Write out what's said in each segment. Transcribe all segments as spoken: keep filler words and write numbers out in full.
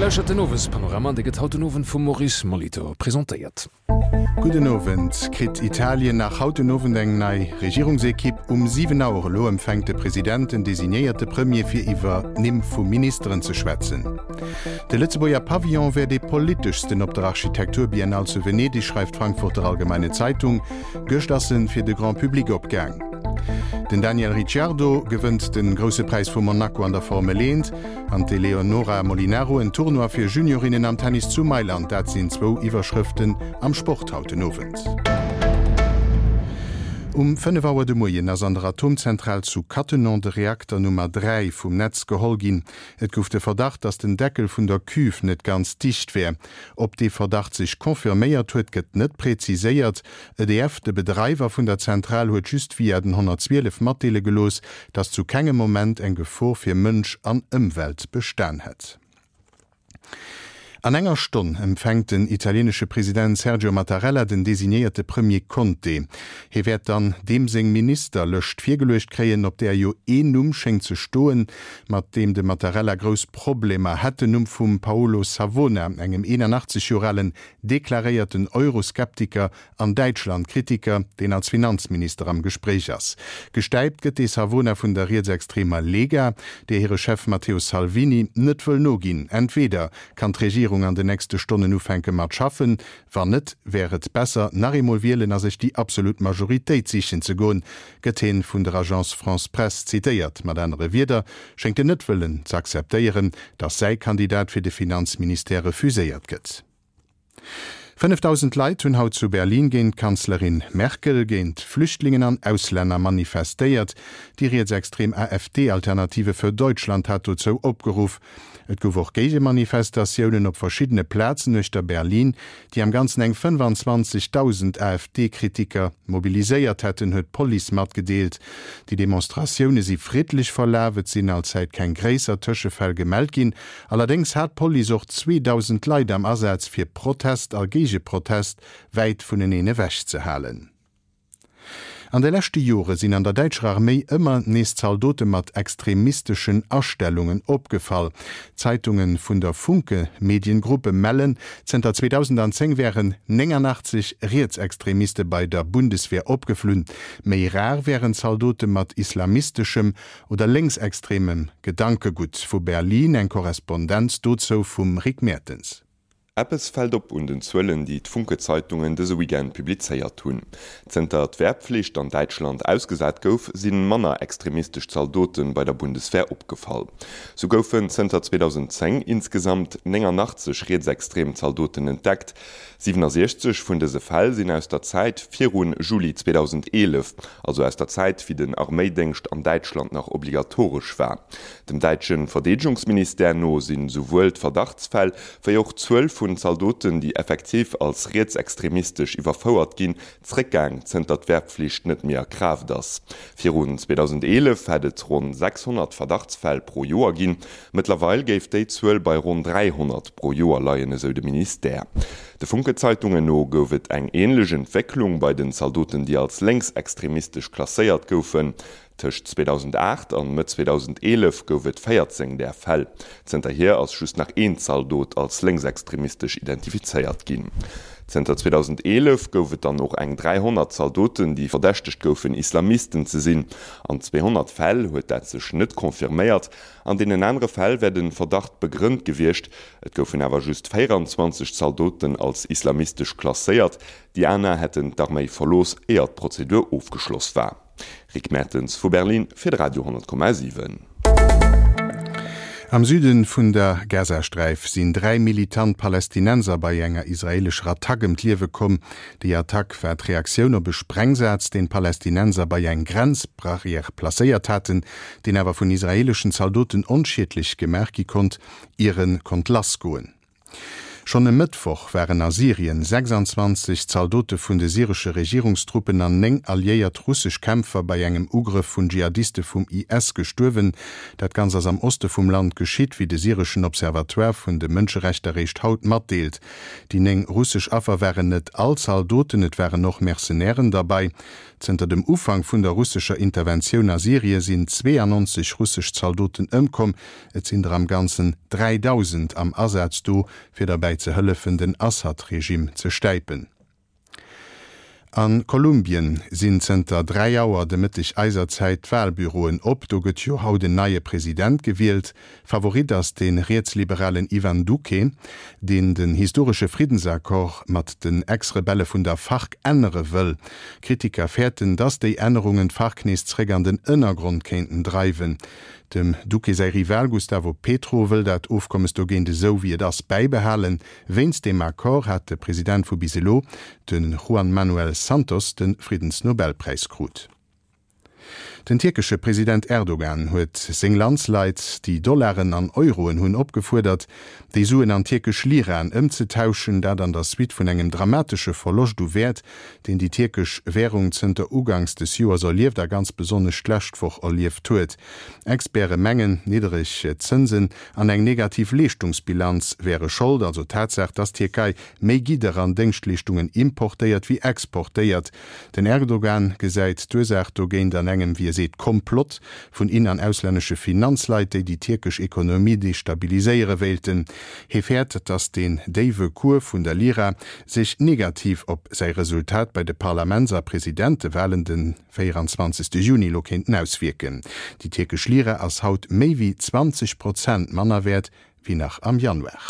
lauschtert den Owespanorama an dee gëtt haut den Owend vum Maurice Molitor presentéiert. Gudden Owend. Kritt Italien nach haut den Owend eng nei Regierungsekipp? Um siwen Auer elo empfänkt de President den designéierte Premier fir iwwer d'Nimm vu Ministeren ze schwätzen. De Lëtzebuerger Pavillon wär dee politeschsten op der Architekturbiennale zu Venedeg, schreift d'Frankfurter Allgemeine Zeitung. Gëscht ass en fir de Grand Public opgaang. Den Daniel Ricciardo gewënnt de Grousse Präis vu Monaco an der Formel eent an d'Eléonora Molinaro en Tournoi fir Juniorinnen am Tennis zu Mailand. Dat sinn zwou Iwwerschrëften am Sport haut den Owend. Um fënnef Auer de Moien ass an der Atomzentral zu Cattenom de Reakter Nummer dräi vum Netz geholl ginn. Et gouf de Verdacht, datt den Deckel vun der Cuve net ganz dicht wär. Ob dee Verdacht sech confirméiert huet, gëtt net präziséiert. E D F, de Bedreiwer vun der Zentral, huet just via den honnertzwielef matdeele gelooss, datt zu kengem Moment eng Gefor fir Mënsch an Ëmwelt bestan hätt. An enger Stonn empfänkt den italienesche President Sergio Mattarella den designéierte Premier Conte. Hie wäert dann deem seng Ministerlëscht virgeluecht kréien, op där jo een Numm schéngt ze stoen, mat deem de Mattarella grouss Problemer hätt, den Numm vum Paolo Savona, engem eenanachtzeg Joer alen deklaréierten Euroskeptiker an Däitschland-Kritiker, deen als Finanzminister am Gespréich ass. Gestäipt gëtt de Savona vun der rietsextremer Lega, där hire Chef Matteo Salvini net wëll noginn. Entweder kann d'Regierung an den nächste Stonnen ufänke mat schaffen, wann net, wär et besser, nach eemol wielen a sech déi absolut Majoritéit sichen ze goen, gëtt hien vun der Agence France-Presse zitéiert. Mat anere Wierder schéngt en net wëllen ze akzeptéieren, datt säi Kandidat fir de Finanzministère refuséiert gëtt. Fënnefdausend Leit hunn haut zu Berlin géint d'Kanzlerin Merkel, géint Flüchtlingen an Auslänner manifestéiert. Déi rietsextrem A F D, Alternative für Deutschland, hat dozou opgeruff. Et gouf och Géigemanifestatiounen op verschiddene Plazen uechter Berlin, déi am Ganzen eng fënnefanzwanzegdausend A F D-Kritiker mobiliséiert hätten, huet d'Police matgedeelt. Déi Demonstratioune si friddlech verlaf, et sinn allzäit keng gréisser Tëschefäll gemellt ginn. Allerdéngs hat d'Police och zweedausend Leit am Asaz, fir Protest a Géigeprotest wäit vuneneen ewech ze halen. An de leschte Jore sinn an der däitscher Arméi ëmmer nees Zaldote mat extremisteschen Astellungen opgefall. D'Zeitunge vun der Funke Mediengruppe mellen, zënter zweedausendzéng wären nénganaachtzeg Rietsextremiste bei der Bundeswehr opgeflunn. Méi rar wären Zaldote mat islamisteschem oder lénksextremem Gedankegutt. Vu Berlin eng Korrespondenz dozou vum Rick Mertens. Eppes fält op un den Zuelen, déi d'Funke-Zeitungen dëse Weekend publizéiert hunn. Zënter d'Wehrpflicht an Däitschland ausgesat gouf, si manner extremistesch Zaldote bei der Bundeswehr opgefall. Sou goufen zënter zweedausendzéng insgesamt nénganaachtzeg rietsextrem Zaldoten entdeckt. siwenasiechzeg vun dëse Fäll sinn aus der Zäit viru Juli zweedausendeelef, also aus der Zäit, wéi den Arméidéngscht an Däitschland nach obligatoresch war. Dem däitsche Verdeedegungsministère no sinn souwuel d'Verdachtsfäll wéi och d'Zuel vun Zaldoten, déi effektiv als rietsextremistesch iwwerfouert ginn, zréckgaang, zënter d'Wehrpflicht net méi a Kraaft ass. Virun zweedausendeelef hätt et ronn sechshonnert Verdachtsfäll pro Joer ginn, mëttlerweil géif déi Zuel bei ronn dräihonnert pro Joer leien, esou de Ministère. De Funke-Zeitungen no gouf et eng änlech Entwécklung bei den Zaldoten, déi als lénksextremistesch klasséiert goufen. Tëscht zweedausenaacht an Mëtt zweedausendeelef gouf et véierzéng där Fäll. Zënterhier ass just nach een Zaldot als lénksextremistesch identifizéiert ginn. Zënter zweedausendeelef gouf et dann och eng dräihonnert Zaldoten, déi verdächtegt goufen, Islamisten ze sinn. An zweehonnert Fäll huet dat sech net confirméiert, an deenen anere Fäll wär de Verdacht begrënnt gewiescht. Et goufen awer just véieranzwanzeg Zaldoten als islamistesch klasséiert, déi aner hätten d'Arméi verlooss, éier d'Prozedur ofgeschloss war. Rick Mertens vu Berlin fir de Radio honnert Komma siwen. Am Süde vun der Gazasträif sinn dräi militant Palästinenser bei enger israeelescher Attack ëm d'Liewe komm. Déi Attack war d'Reaktioun op e Sprengsaz, deen d'Palästinenser bei eng Grenzbarrière placéiert haten, deen awer vun israeeleschen Zaldoten onschiedlech gemaach gi konnt, ier e konnt lassgoen. Schonn e Mëttwoch waren a Syrien sechsanzwanzeg Zaldote vun de syresche Regierungstruppen an néng alliéiert russesch Kämpfer bei engem Ugrëff vun Dschihadiste vum I S gestuerwen. Dat Ganzt ass am Oste vum Land geschitt, wéi de syreschen Observatoire vun de Mënscherechter réischt haut matdeelt. Déi néng russesch Affer waren net all Zaldoten, et waren och Mercenairen derbei. Zënter dem Ufank vun der russescher Interventioun a Syrie sinn zweeannonzeg russesch Zaldoten ëmkomm, et sinn der am Ganzen dräidausend am Asaz do, fir derbäi ze hëllefen, den Assad-Regime ze stäipen. A Kolumbien sinn zënter dräi Auer de Mëtteg eiser Zäit d'Walbüroen op. Do gëtt jo haut en neie President gewielt. Favorit ass de rietsliberalen Ivan Duque, deen den historesche Friddensaccord mat den Ex-Rebelle vun der FARC ännere wëll. Kritiker fäerten, datt déi Ännerungen d'FARC nees zeréck an den Ënnergrond kéinten dreiwen. Dem Duque säi Rival Gustavo Petro wëll dat Ofkommes dogéint esou wéi et ass bäibehalen. Wéinst deem Accord hat de President vu bis elo, de Juan Manuel Santos, de Friddensnobelpräis krut. Den tierkesche President Erdogan huet seng Landsleit, déi Dollaren an Euroen hunn, opgefuerdert, déi Suen an tierkesch Liraen ëmzetauschen, dat an der Suite vun engem dramatesche Verloscht u Wäert, deen déi tierkesch Wärung zënter uganks des Joers erlieft a ganz besonnesch d'lescht Woch erlieft huet. Experte mengen, niddereg Zënsen an eng negativ Leeschtungsbilanz wäre Schold, also d'Tatsaach, dass d'Tierkei méi Gidder an Déngschtleeschtungen importéiert wéi exportéiert. Den Erdogan gesäit d'Ursaach dogéint an engem, wéi e seet, Komplott vun in an auslännesche Finanzleit, déi déi tierkesch Ekonomie destabiliséiere wéilten. Hie fäert, datt den déiwe Cours vun der Lira sech negativ op säi Resultat bei de Parlaments a Presidentewalen de véieranzwanzegste Juni elo kéinten auswierken. Déi tierkesch Lira ass haut méi wéi zwanzeg Prozent manner wäert wéi nach am Januar.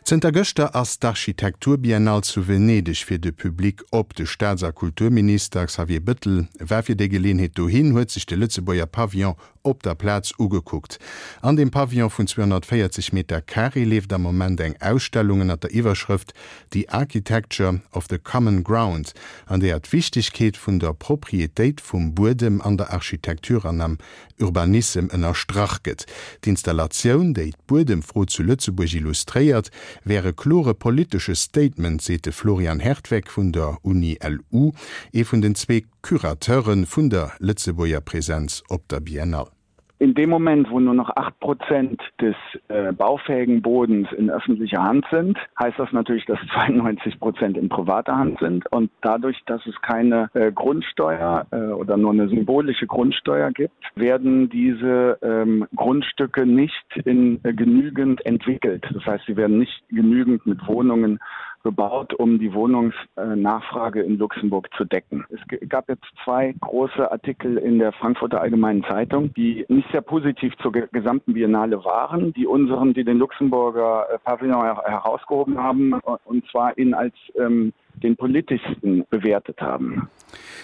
Zënter gëschter ass d'Architekturbiennale zu Venedeg fir de Public op. De Staats a Kulturminister Xavier Bettel war fir déi Geleeënheet dohin, huet sech de Lëtzebuerger Pavillon op der Plaz ugekuckt. An deem Pavillon vun zweehonnertvéierzeg Meter Carré leeft am Moment eng Ausstellung ënner der Iwwerschrëft The Architecture of the Common Ground, an deeër d'Wichtegkeet vun der Proprietéit vum Buedem an der Architektur an am Urbanissem ënnerstrach gëtt. D'Installatioun, déi d'Buedemfro zu Lëtzebuerg illustréiert, wär e klore politesche Statement, seet de Florian Hertweck vun der Uni L U, ee vun den zwee Curateure vun der Lëtzebuerger Presenz op der Biennale. In dem Moment, wo nur noch acht Prozent des äh, baufähigen Bodens in öffentlicher Hand sind, heißt das natürlich, dass zweiundneunzig Prozent in privater Hand sind. Und dadurch, dass es keine äh, Grundsteuer äh, oder nur eine symbolische Grundsteuer gibt, werden diese ähm, Grundstücke nicht in, äh, genügend entwickelt. Das heißt, sie werden nicht genügend mit Wohnungen bebaut, um die Wohnungsnachfrage in Luxemburg zu decken. Es gab jetzt zwei große Artikel in der Frankfurter Allgemeinen Zeitung, die nicht sehr positiv zur gesamten Biennale waren, die unseren, die den Luxemburger äh, Pavillon herausgehoben haben und zwar ihn als ähm, den politischsten bewertet haben.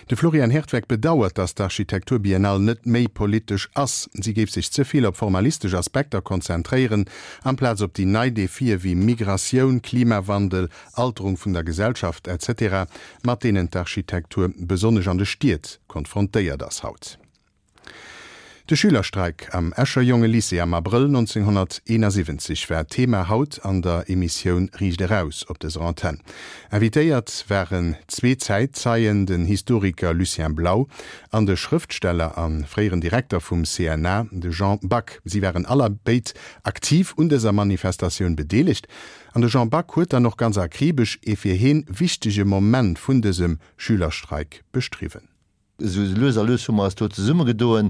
De Florian Hertweck bedauert, datt d'Architekturbiennale net méi politesch ass. Si géif sech ze vill op formalistesch Aspekter konzentréieren, amplaz op déi nei Defie wéi Migratioun, Klimawandel, Alterung vun der Gesellschaft et cetera, mat deenen d'Architektur besonnesch an de Stied konfrontéiert ass haut. De Schülerstreik am Escher Jongelycée am Abrëll nonzénghonnerteenasiwwenzeg war Thema haut an der Emissioun Riicht Eraus op dëser Antenn. Invitéiert waren zwee Zäitzeien, den Historiker Lucien Blau an de Schrëftsteller a fréieren Direkter vum C N A, de Jean Back. Si waren allerbéid aktiv un dëser Manifestatioun bedeelegt an de Jean Back huet dann och ganz akribesch ee fir hien wichtege Moment vun dësem Schülerstreik beschriwwen. Esou lues a lues hu mer eis do zesummegedoen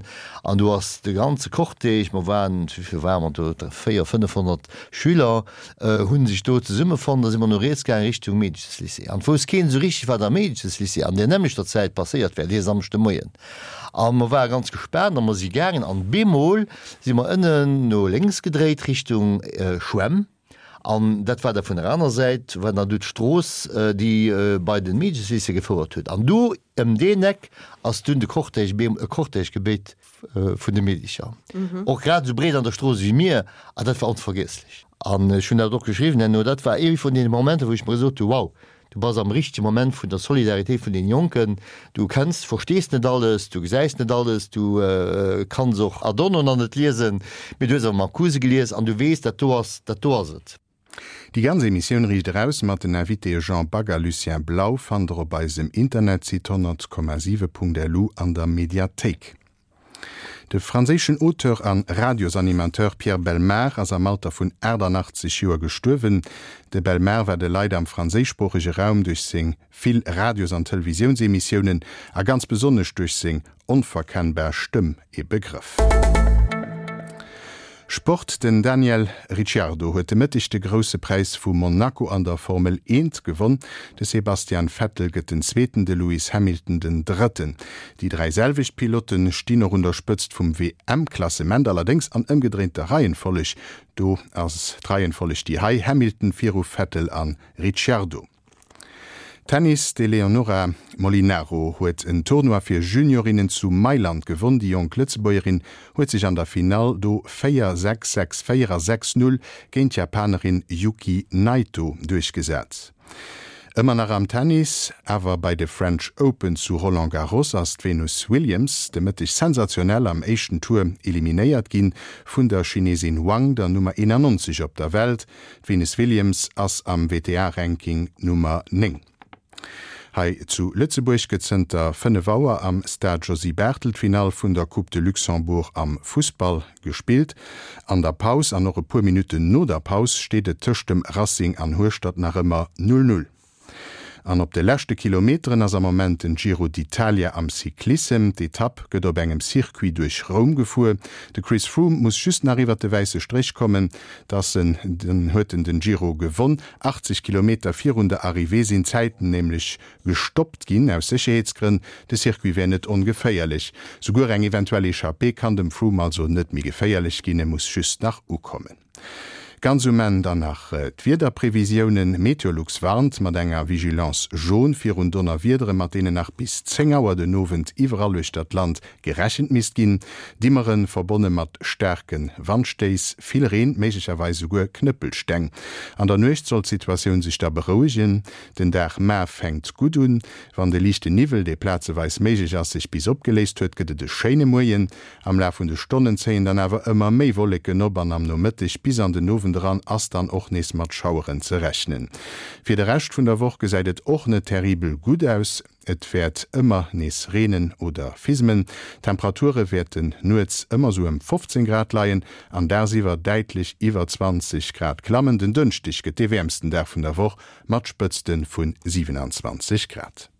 an do ass de ganze Cortège, mer waren, wéi vill ware mer do, véier, fënnefhonnert Schüler hu sech do zesummefonnt, da si mer no riets gaangen Richtung Meedcheslycée. An et wousst keen esou richteg, wat am Meedcheslycée an där nämmlechter Zäit passéiert wär, dee Samschdemoien. A mer ware ganz gespaant a mer si gaangen an bemol si mer ënnen no lénks gedréit Richtung Schwämm. An dat war da vun der aner Säit, war dann do d'Strooss, déi bei den Meedcheslycée gefouert huet. An do ëm deen Eck ass dunn de Cortège, e Cortège gebéit vun de Meedecher. Och grad esou breet an der Strooss wéi mir. An dat war onvergiesslech. An ech hunn dat och geschriwwen herno, dat war ee vun deene Momenter, wou ech mer gesot hu, wow, Du bass am richtege Moment vun der Solidaritéit vun den Jonken. Du kenns, verstees net alles, du gesäis net alles, du kanns och Adorno nach net liesen, mee du hues awer Marcuse gelies an du weess, dat do ass, dat do ass et. Déi ganz Emissioun Riicht Eraus mat den Invitéë Jean Back a Lucien Blau fannt der op eisem Internetsite honnert Komma siwe Punkt lu an der Mediathéik. De franséischen Auteur an Radiosanimateur Pierre Bellemare ass am Alter vun achtannachtzeg Joer gestuerwen. De Bellemare war de Leit am franséischsproochege Raum duerch seng vill Radios an Televisiounsemissiounen a ganz besonnesch duerch seng onverkennbar Stëmm e Begrëff. Sport, Den Daniel Ricciardo huet de Mëtteg de Grousse Präis vu Monaco an der Formel eent gewonn. De Sebastian Vettel gëtt den Zweeten, de Lewis Hamilton den Drëtten. Déi dräi selwecht Pilotte stinn och un der Spëtzt vum W M-Klassement, allerdéngs an ëmgedréinter Reihenfolleg. Do ass d'Reihenfolleg déi hei, Hamilton viru Vettel an Ricciardo. Tennis, D'Eleonora Molinaro huet en Tournoi fir Juniorinnen zu Mailand gewonn. Déi jonk Lëtzebuergerin huet sech an der Finall do véier, sechs, sechs, véier a sechs, null géint d'Japanerin Yuki Naito duerchgesat. Ëmmer nach am Tennis, awer bei de French Open zu Roland Garros ass d'Venus Williams de Mëtteg sensationell am éischten Tour eliminéiert ginn vun der Chinesin Wang, der Nummer eenannonzeg op der Welt. D'Venus Williams ass am W T A-Ranking Nummer néng. Hei zu Lëtzebuerg gëtt zënter fënnef Auer am Stade Josy Barthel d'Finall vun der Coupe de Luxembourg am Fussball gespillt. An der Paus an och e puer Minutten no der Paus steet et tëscht dem Racing an Hueschtert nach ëmmer null null. An op de leschte Kilometeren ass am Moment den Giro d'Italia am Cyclissem. D'Etapp gëtt op engem Circuit duerch Roum gefuer. De Chris Froome muss just nach iwwer de wäisse Stréch kommen, dass en den huet en den Giro gewonn. achtzeg Kilometer virun der Arrivée sinn d'Zäiten nämlech gestoppt ginn, aus Sécherheetsgrënn. De Circuit wär net ongeféierlech. Souguer eng eventuell Echappée kann dem Froome also net méi geféierlech ginn, e muss just nach ukommen. Ganz um Enn dann nach d'Wiederprevisiounen, Meteolux warnt mat enger Vigilance jaune virun Donnerwiedere, mat deenen nach bis zéng Auer den Owend iwwerall uechter d'Land gerechent misst ginn. Dimmeren, verbonne mat staarke Wandstéiss, vill Reen, méiglecherweis souguer Knëppelsteng. An der Nuecht soll d'Situatioun sech da berouegen. Den Dag mar fänkt gutt un. Wann de liichten Niwwel, dee plazeweis méiglech ass, sech bis opgeléist huet, gëtt et e schéine Moien. Am Laf vun de Stonnen zéien dann awer ëmmer méi Wolleken op an am Nomëtteg bis an den Owend eran ass dann och nees mat Schaueren ze rechnen. Fir de Rescht vun der Woch gesäit et och net terribel gutt aus, et wäert ëmmer nees reenen oder fismen. D'Temperature wäerten nuets ëmmer sou ëm fofzéng Grad leien an dagsiwwer däitlech iwwer zwanzeg Grad klammen. Den Dënschdeg gëtt dee wäermsten Dag vun der Woch mat Spëtzte vu siwenanzwanzeg Grad.